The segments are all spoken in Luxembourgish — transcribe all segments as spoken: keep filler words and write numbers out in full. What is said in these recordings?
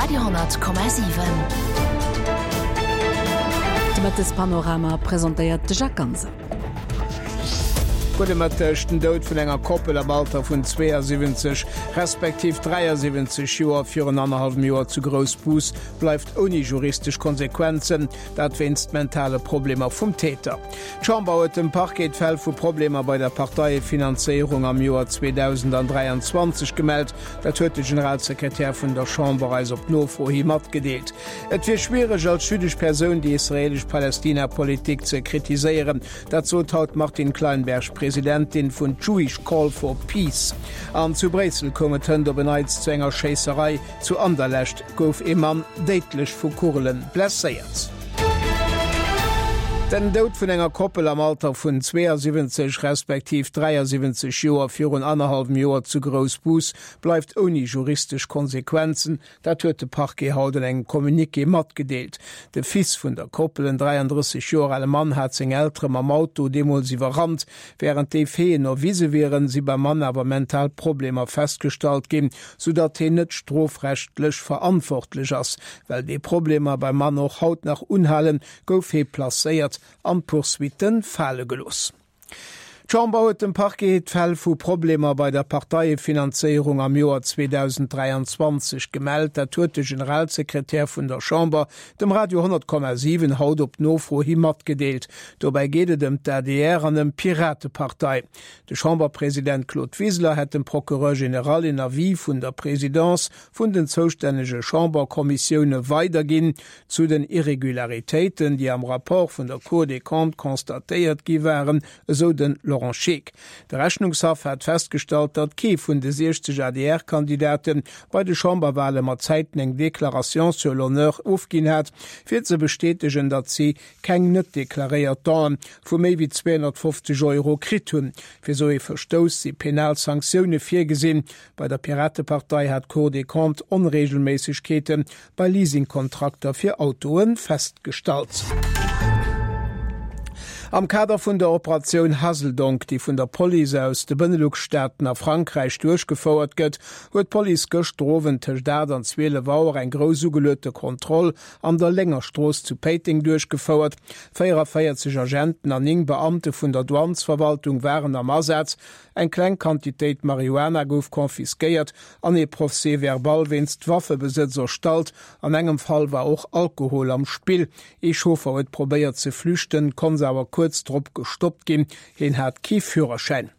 Radio honnert Komma siwen. De Mëttespanorama presentéiert de Jacques Ganser. Gudde Mëtteg, Den Doud vun enger Koppel am Alter vun zweeësiwwenzeg respektiv dräiasiwwenzeg Joer virun annerhallwem Joer zu Groussbus bleift ouni juristesch Konsequenzen, dat wéinst mentale Problemer vum Täter. D'Chamber huet dem Parquet d'Fäll vu Problemer bei der Parteiefinanzéierung am Joer zweedausendandräianzwanzeg gemellt. Dat huet de Generalsekretär vun der Chamber eis op Nofro hi matgedeelt. Et wier schwiereg als jüddesch Persoun déi israelesch-Palästina-Politik ze kritiséieren. Dat sot haut d'Martine Kleinberg, Presidentin vun Jewish Call for Peace. An zu Bréissel koum et hënt op en Neits zu enger Schéisserei. Zu Anderlecht gouf ee Mann déidlech vu Kugele blesséiert. Den Doud vun enger Koppel am Alter vun zweeësiwwenzeg respektiv dräiasiwwenzeg Joer virun annerhallwem Joer zu Groussbus bleift ouni juristesch Konsequenzen. Dat huet de Parquet haut an engem Communiqué matgedeelt. De Fils vun der Koppel, en dräiandrësseg Joer ale Mann, hat seng Eltere mam Auto deemools iwwerrannt. Wärend déi Faiten erwise wieren, si beim Mann awer mental Problemer festgestallt ginn, soudatt hien net strofrechtlech verantwortlech ass. Well déi Problemer beim Mann och haut nach unhalen, gouf hie placéiert an d'Poursuitte fale gelooss. D'Chamber huet dem Parquet d'Fäll vu Problemer bei der Parteiefinanzéierung am Joer zweedausend dräianzwanzeg gemellt. Dat huet de Generalsekretär vun der Chamber dem Radio honnert Komma siwen haut op Nofro hi matgedeelt. Dobäi geet et ëm d'A D R an ëm d'Piratepartei. De Chamberpresident Claude Wiseler hätt dem Procureur général een Avis vun der Presidence vun den zoustännege Chamberkommissioune weiderginn zu den Irregularitéiten, déi am Rapport vun der Cour des Comptes constatéiert gi waren, esou de Laurent Scheeck. De Rechnungshaff hat festgestallt, datt kee vun de siechzeg A D R-Kandidate bei de Chamberwale mat Zäiten eng Déclaration sur l'honneur ofginn hat, fir ze bestätegen, datt si keng net deklaréiert Donen vu méi wéi zweehonnertfofzeg Euro kritt hunn. Fir esou ee Verstouss si penal Sanktioune virgesinn. Bei der Piratepartei hat d'Cour des Comptes Onreegelméissegkeete bei Leasingkontrakter fir Autoe festgestallt. Am Kader vun der Operatioun Hazeldonk, déi vun der Police aus de Benelux-Staaten a Frankräich duerchgefouert gëtt, huet d'Police gëschter Owend tëscht aacht an zwielef Auer eng grouss ugeluechte Kontroll an der Léngerstrooss zu Péiteng duerchgefouert. véieranvéierzeg Agenten an néng Beamte vun der Douanesverwaltung waren am Asaz. Eng kleng Quantitéit Marihuana gouf confisquéiert an ee Procès-verbal wéinst Waffebesëtz erstallt. An engem Fall war och Alkohol am Spill. Ee Chauffer huet probéiert ze flüchten, konnt awer kuerz drop gestoppt ginn. Hien hat kee Führerschäin.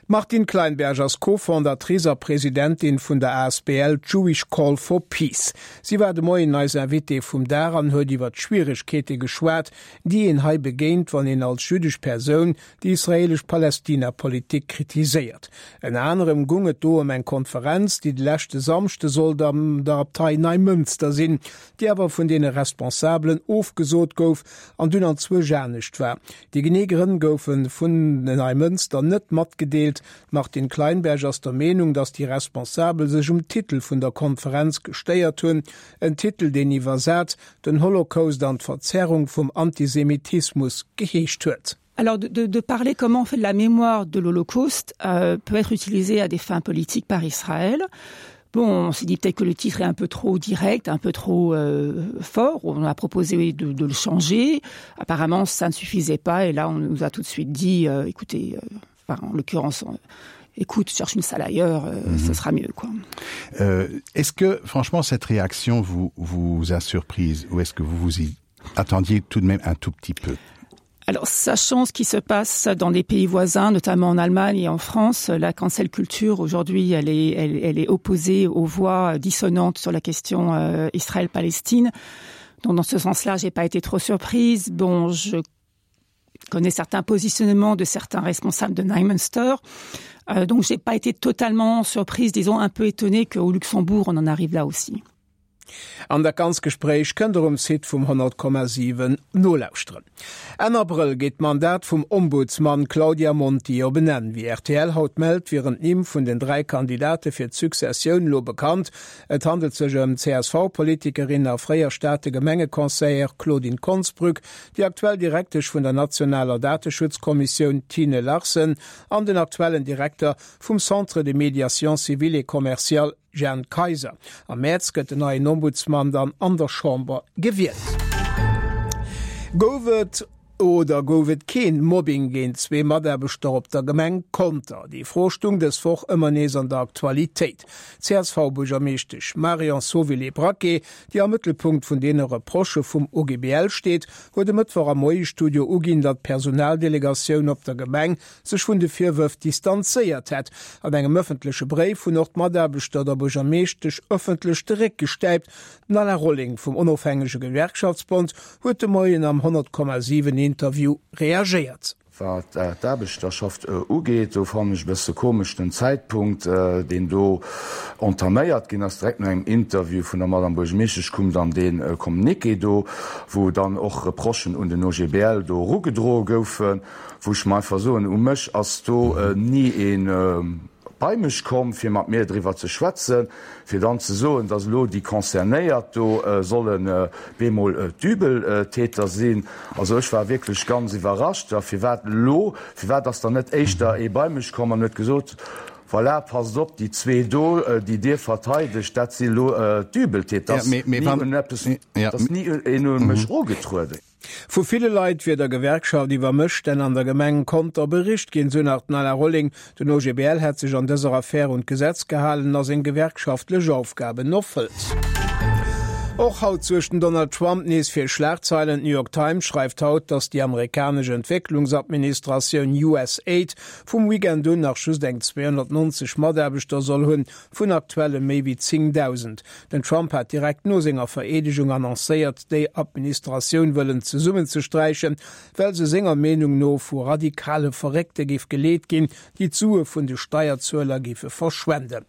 D'Martine Kleinberg ass Co-Fondatrice a Presidentin vun der A S B L Jewish Call for Peace. Si war de Moien eis Invitée vum Dag an huet iwwer d'Schwieregkeete geschwat, déi een hei begéint, wann een als jüddesch Persoun déi israelesch-Palästina-Politik kritiséiert. Ënner anerem goung et do ëm eng Konferenz, déi de leschte Samschde sollt an der Abtei Neimënster sinn, déi awer vun deene Responsabelen ofgesot gouf an dunn anzwousch anescht war. Déi genee Grënn goufe vun Neimënster net matgedeelt. D'Martine Kleinberg ass der Meenung, datt déi Responsabel sech um Titel vun der Konferenz gestéiert hunn, en Titel, deen iwwersat Den Holocaust an d'Verzerrung vum Antisemitismus geheescht huet. Alors de, de, de parler comment on fait de la mémoire de l'Holocauste euh, peut être utilisé à des fins politiques par Israël. Bon, on s'est dit peut-être que le titre est un peu trop direct, un peu trop euh, fort. On a proposé de, de le changer. Apparemment, ça ne suffisait pas. Et là, on nous a tout de suite dit, euh, écoutez, euh, enfin, en l'occurrence, écoute, cherche une salle ailleurs, euh, mm -hmm. ce sera mieux, quoi. Euh, est-ce que, franchement, cette réaction vous, vous a surprise ou est-ce que vous vous y attendiez tout de même un tout petit peu? Alors, sachant ce qui se passe dans des pays voisins, notamment en Allemagne et en France, la cancel culture aujourd'hui, elle est, elle, elle est opposée aux voix dissonantes sur la question euh, Israël-Palestine. Donc dans ce sens-là, j'ai pas été trop surprise. Bon, je connais certains positionnements de certains responsables de Neumünster. Euh, donc j'ai pas été totalement surprise, disons un peu étonnée qu'au Luxembourg on en arrive là aussi. An dat ganzt Gespréich kënnt der um Site vum honnert Komma siwen nolauschteren. Enn Abrëll geet d'Mandat vum Ombudsman Claudia Monti op en Enn. Wéi R T L haut mellt, wieren d'Nimm vun den dräi Kandidate fir d'Successioun lo bekannt. Et handelt sech ëm d'C S V-Politikerin a fréier Stater Gemengeconseillère Claudine Konsbrück, déi aktuell Direktesch vun der nationaler Dateschutzkommissioun Tine Larsen an den aktuellen Direkter vum Centre de médiation civile et commerciale Jeanne Kayser. Am Mäerz gëtt den neien Ombudsman dann an der Chamber gewielt. Gouf et oder gouf et keen Mobbing géint zwee Mataarbechter op der Gemeng Conter? Déi Fro stung dës Woch ëmmer nees an der Aktualitéit. D'CSV-Buergermeeschtesch Marion Zovilé-Braquet, déi am Mëttelpunkt vun deene Reprochë vum OGBL steet, huet e Mëttwoch am Moie-Studio uginn, datt d'Personaldelegatioun op der Gemeng sech vun de Virwërf distanzéiert hätt. An engem ëffentleche Bréif hunn och d'Mataarbechter der Buergermeeschtesch ëffentlech de Réck gestäipt. Den Alain Rolling vum Onofhängege Gewerkschaftsbond huet de Moien am honnert Komma siwen Interview reagéiert. Wat d'Aarbechterschaft ugeet, do fannen ech e bësse komesch den Zäitpunkt, deen do entaméiert ginn ass. Direkt no engem Interview vun der Madame Buergermeeschtesch koum dann dee Communiqué do, wou dann och Reprochen un den O G B L do erugedroe goufen, wou ech mer einfach soen, u mech ass do ni ee bei mech komm, fir mat mir driwwer ze schwätzen, fir dann ze soen, datt elo déi Concernéiert do sollen bemol d'Übeltäter sinn. Also ech war wierklech ganz iwwerrascht. A firwat elo? Firwat ass dann net éischter ee bei mech komm an huet gesot, Voilà, passt op, déi zwee do, déi Dir verteidegt, dat si elo d'Übeltäter? Et ass ni een un mech erugetrueden. Vu ville Leit wier der Gewerkschaft iwwer Mësstänn an der Gemeng Conter bericht ginn, sou nach den Alain Rolling. Den O G B L hätt sech an dëser Affär un d'Gesetz gehalen a seng gewerkschaftlech Aufgaben erfëllt. Och haut suergt den Donald Trump nees fir Schlagzeilen. D'New York Times schreift haut, datt déi amerikanesch Entwécklungsadministratioun USAID vum Weekend un nach just eng zweehonnertnonzeg Mataarbechter soll hunn, vun aktuelle méi wéi zéngdausend. Den Trump hat direkt no senger Vereedegung annoncéiert, déi Administratioun wëllen zesummenzesträichen, well se senger Meenung no vu radikale Verréckte géif geleet ginn, déi d'Sue vun de Steierzueler géife verschwenden.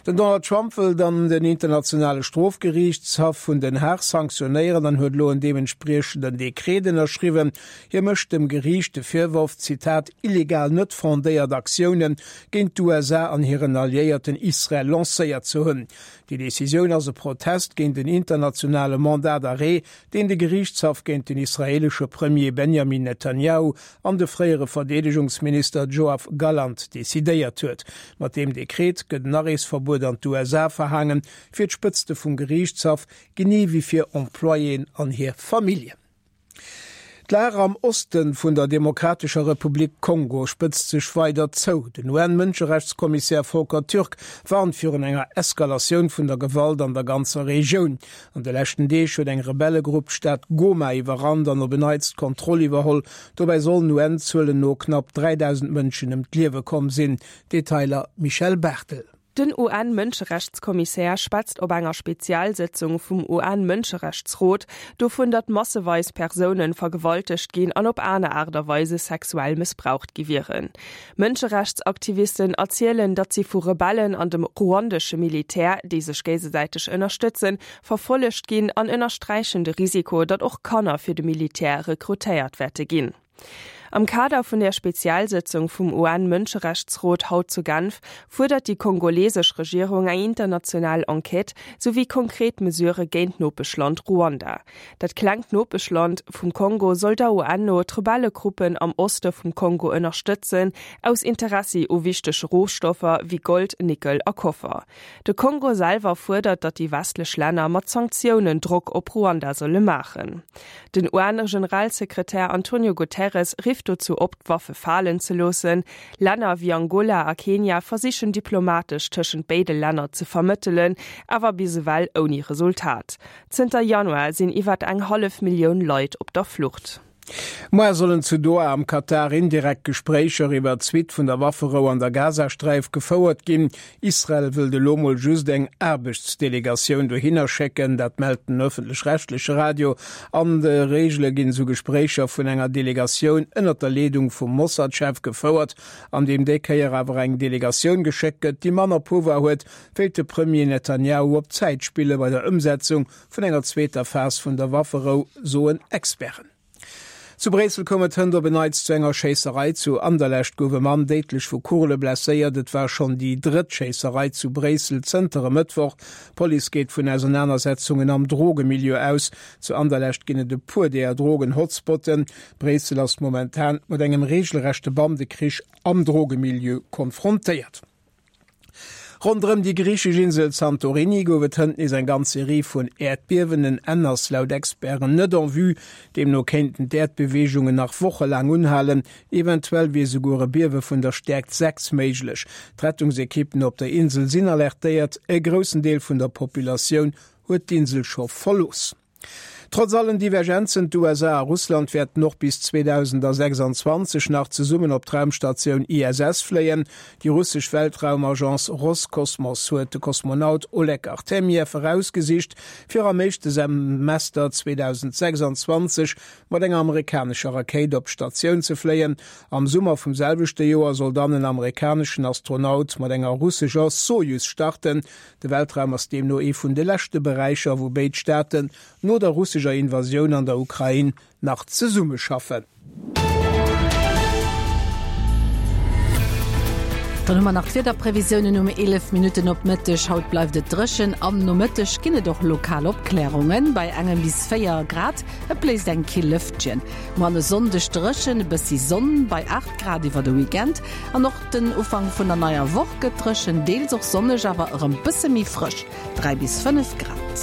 Den Donald Trump wëll dann den Internationale Strofgeriichtshaff vun Den Haag sanktionéieren an huet elo en deementspriechenden Dekret ënnerschriwwen. Hie mécht dem Geriicht de Virworf, Zitat, illegal net fondéiert Aktioune géint d'U S A an hiren Alliéierten Israel lancéiert ze hunn. Déi Decisioun ass e Protest géint den internationale Mandat d'arrêt, deen de Geriichtshaff géint den israeelesche Premier Benjamin Netanjahu an de fréiere Verdeedegungsminister Joav Gallant decidéiert huet. Mat deem Dekret gëtt en Areesverbuet an d'U S A verhaangen, fir d'Spëtzte vum Geriichtshaff, genee wéi fir Employéen an hir Familljen. D'Lag am Oste vun der Demokratescher Republik Kongo spëtzt sech weider zou. Den U N-Mënscherechtskommissär Volker Türk warnt virun enger Eskalatioun vun der Gewalt an der ganzer Regioun. An de leschten Deeg huet eng Rebellegrupp d'Stad Goma iwwerrannt an op en Neits d'Kontroll iwwerholl. Dobäi sollen U N-Zuelen no knapp dräidausend Mënschen ëm d'Liewe komm sinn. Detailer Michèle Barthel. Den U N-Mënscherechtskommissär schwätzt op enger Spezialsëtzung vum U N-Mënscherechtsrot dovun, datt masseweis Persoune vergewaltegt ginn an op aner Aart a Weise sexuell mëssbraucht gi wieren. Mënscherechtsaktivisten erzielen, datt si vu Rebellen an dem ruandesche Militär, déi sech géigesäiteg ënnerstëtzen, verfollegt ginn an ënnersträichen de Risiko, datt och Kanner fir de Militär rekrutéiert wäerte ginn. Am Kader vun der Spezialsëtzung vum U N-Mënscherechtsrot haut zu Genf fuerdert déi kongolesesch Regierung eng international Enquête souwéi konkret Mesurë géint d'Nopeschland Ruanda. Dat klengt Nopeschland vum Kongo soll der U N no d'Rebellegruppen am Oste vum Kongo ënnerstëtzen, aus Interessi u wichtege Rohstoffer wéi Gold, Nickel a Koffer. De Kongo selwer fuerdert, datt déi westlech Länner mat Sanktiounen Drock op Ruanda solle maachen. Den U N-Generalsekretär Antonio Guterres rifft dozou op, d'Waffe falen ze loossen. Länner wéi Angola a Kenia versichen diplomatesch tëschent béide Länner ze vermëttelen, awer bis ewell ouni Resultat. Zënter Januar sinn iwwer eng hallef Millioun Leit op der Flucht. Muer sollen zu Doha am Katar indirekt Gespréicher iwwer d'Suite vun der Wafferou an der Gazasträif gefouert ginn. Israel wëllt elo mol just eng Aarbechtsdelegatioun dohinner schécken, dat mellt den ëffentlech-rechtleche Radio. An der Reegel ginn esou Gespréicher vun enger Delegatioun ënnert der Leedung vum Mossad-Chef gefouert, an deem déi Kéier awer eng Delegatioun geschéckt gëtt, déi manner Pouvoir huet, wéilt de Premier Netanjahu op Zäit spille bei der Ëmsetzung vun enger zweeter Phas vun der Wafferou, soen Experten. Zu Bréissel koum et hënt op en Neits zu enger Schéisserei. Zu Anderlecht gouf e Mann déidlech vu Kugele blesséiert. Et war schonn déi drëtt Schéisserei zu Bréissel zënter e Mëttwoch. D'Police geet vun Ausernanersetzungen am Drogemilieu aus. Zu Anderlecht ginn et e puer där Drogen-Hotspotten. Bréissel ass momentan mat engem reegelrechte Bandekrich am Drogemilieu konfrontéiert. Ronderëm déi griichesch Insel Santorini gouf et hënt nees eng ganz Serie vun Äerdbiewen. En Enn ass laut Experten net en vue. Deemno kéinten d'Äerdbeweegungen nach wochelaang unhalen. Eventuell wier souguer e Biewe vun der Stäerkt sechs méiglech. D'Rettungsekippen op der Insel sinn alertéiert. E groussen Deel vun der Populatioun huet d'Insel scho verlooss. Trotz allen Divergenzen, d'USA a Russland wäerten och bis zweedausendsechsanzwanzeg nach zesummen op d'Raumstatioun I S S fléien. Déi russesch Weltraumagence Roskosmos huet de Kosmonaut Oleg Artemjew erausgesicht, fir am éischte Semester zweedausendsechsanzwanzeg mat enger amerikanescher Rakéit op d'Statioun ze fléien. Am Summer vum selwechte Joer soll dann en amerikaneschen Astronaut mat enger russescher Sojus starten. De Weltraum ass deemno ee vun de leschte Beräicher, wou béid Staaten no der russescher Invasioun an der Ukrain nach zesummeschaffen. Dann hu mer nach d'Wiederprevisiounen um eelef Minutten op Mëtteg. Haut bleift et dréchen, am Nomëtteg ginn et och lokal Opklärungen bei engem bis véier Grad. Et bléist eng kill Lëftchen. Muer an e Sonndeg dréchen, e bëssi Sonn bei aacht Grad iwwer de Weekend. An och den Ufank vun der neier Woch gëtt dréchen, deels och sonneg, awer erëm bësse méi frësch, dräi bis fënnef Grad.